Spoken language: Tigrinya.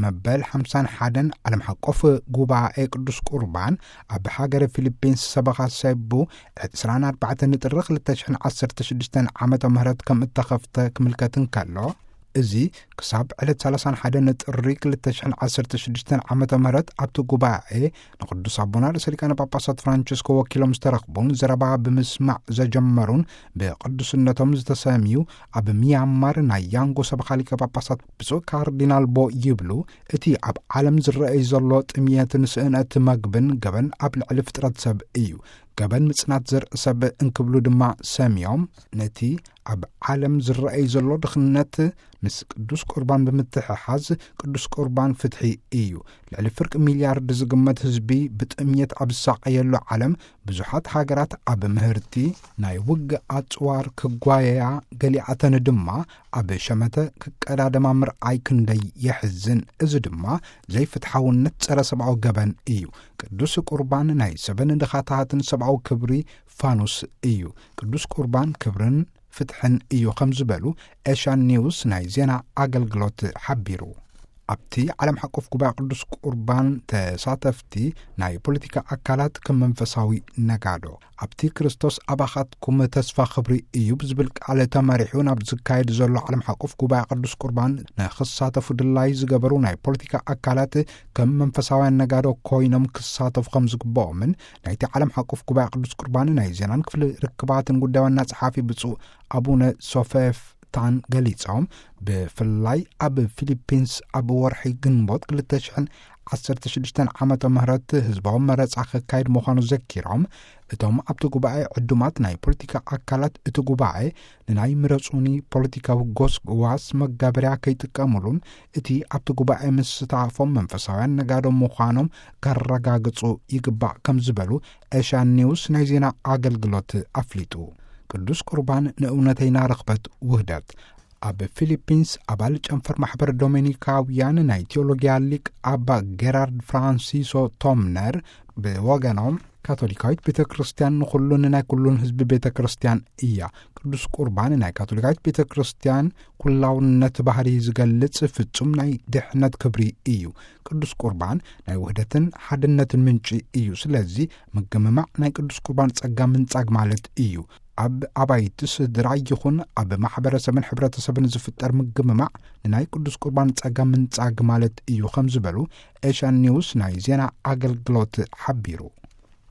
መበል ሓምሳን ሓደን ዓለም ሓቆፍ ጉባኤ ቅዱስ ቁርባን ኣብ ሃገረ ፊሊፒንስ ሰበኻ ሰቡ ዕስራን ኣርባዕተን ጥሪ ክልተ ሽሕን ዓሰርተ ሽዱሽተን ዓመተ ምህረት ከም እተኸፍተ ክምልከት እንከሎ፣ እዚ ክሳብ ዕለት ሰላሳን ሓደን ጥሪ ክልተ ሽሕን ዓሰርተ ሽዱሽተን ዓመተ ምህረት ኣብቲ ጉባኤ ንቅዱስ ኣቦና ርእሰ ሊቃነ ጳጳሳት ፍራንቸስኮ ወኪሎም ዝተረኽቡን ዘረባ ብምስማዕ ዘጀመሩን ብቅዱስነቶም ዝተሰምዩ ኣብ ሚያንማር ናይ ያንጎ ሰበኻ ሊቀ ጳጳሳት ብፁዕ ካርዲናል ቦ ይብሉ፣ እቲ ኣብ ዓለም ዝረኣይ ዘሎ ጥምየትን ስእነት መግብን ገበን ኣብ ልዕሊ ፍጥረት ሰብ እዩ። ገበን ምጽናት ዘርኢ ሰብ እንክብሉ ድማ ሰምዮም፣ ነቲ ኣብ ዓለም ዝረኣይ ዘሎ ድኽነት ምስ ቅዱስ ቁርባን ብምትሕሓዝ፣ ቅዱስ ቁርባን ፍትሒ እዩ። ልዕሊ ፍርቂ ሚልያርድ ዝግመት ህዝቢ ብጥምየት ኣብ ዝሳቐየሉ ዓለም፣ ብዙሓት ሃገራት ኣብ ምህርቲ ናይ ውግእ ኣጽዋር ክጓየያ፣ ገሊኣተን ድማ ኣብ ሸመተ ክቀዳደማ ምርኣይ ክንደይ የሕዝን። እዚ ድማ ዘይፍትሓውነት፣ ጸረ ሰብኣዊ ገበን እዩ። ቅዱስ ቁርባን ናይ ሰብን ድኻታትን ሰብኣዊ ክብሪ ፋኑስ እዩ። ቅዱስ ቁርባን ክብርን ፍትሕን እዩ ከም ዝበሉ ኤሽያን ኒውስ ናይ ዜና ኣገልግሎት ሓቢሩ። ኣብቲ ዓለም ሓቆፍ ጉባኤ ቅዱስ ቁርባን ተሳተፍቲ ናይ ፖለቲካ ኣካላት ከም መንፈሳዊ ነጋዶ፣ ኣብቲ ክርስቶስ ኣባኻትኩም ተስፋ ክብሪ እዩ ብዝብል ቃል ተመሪሑ ናብ ዝካየድ ዘሎ ዓለም ሓቆፍ ጉባኤ ቅዱስ ቁርባን ንክሳተፉ ድላይ ዝገበሩ ናይ ፖለቲካ ኣካላት ከም መንፈሳውያን ነጋዶ ኮይኖም ክሳተፉ ከም ዝግብኦምን ናይቲ ዓለም ሓቆፍ ጉባኤ ቅዱስ ቁርባን ናይ ዜናን ክፍሊ ርክባትን ጉዳይ ዋና ጸሓፊ ብፁዕ ኣቡነ ሶፌፍ ታን ገሊጾም፣ ብፍላይ ኣብ ፊሊፒንስ ኣብ ወርሒ ግንቦት ክልተ ሽሕን ዓሰርተ ሽዱሽተን ዓመተ ምህረት ህዝባዊ መረጻ ክካየድ ምዃኑ ዘኪሮም፣ እቶም ኣብቲ ጉባኤ ዕዱማት ናይ ፖለቲካ ኣካላት እቲ ጉባኤ ንናይ ምረጹኒ ፖለቲካዊ ጎስጓስ መጋበርያ ከይጥቀሙሉን እቲ ኣብቲ ጉባኤ ምስታፎም መንፈሳውያን ነጋዶ ምዃኖም ከረጋግጹ ይግባእ ከም ዝበሉ ኤሽያን ኒውስ ናይ ዜና ኣገልግሎት ኣፍሊጡ። ቅዱስ ቁርባን ንእውነተይና ርኽበት ውህደት። ኣብ ፊሊፒንስ ኣባል ጨንፈር ማሕበር ዶሜኒካውያን ናይ ቴዎሎጊያ ሊቅ ኣባ ጌራርድ ፍራንሲሶ ቶምነር ብወገኖም፣ ካቶሊካዊት ቤተ ክርስቲያን ንኹሉን ናይ ኩሉን ህዝቢ ቤተ ክርስቲያን እያ። ቅዱስ ቁርባን ናይ ካቶሊካዊት ቤተ ክርስቲያን ኩላውነት ባህሪ ዝገልጽ ፍጹም ናይ ድሕነት ክብሪ እዩ። ቅዱስ ቁርባን ናይ ውህደትን ሓድነትን ምንጪ እዩ። ስለዚ ምግምማዕ ናይ ቅዱስ ቁርባን ጸጋ ምንጻግ ማለት እዩ። ኣብ ኣባይቲ ስድራ ይኹን ኣብ ማሕበረሰብን ሕብረተሰብን ዝፍጠር ምግምማዕ ንናይ ቅዱስ ቁርባን ጸጋ ምንጻግ ማለት እዩ ከም ዝበሉ ኤሽያን ኒውስ ናይ ዜና ኣገልግሎት ሓቢሩ።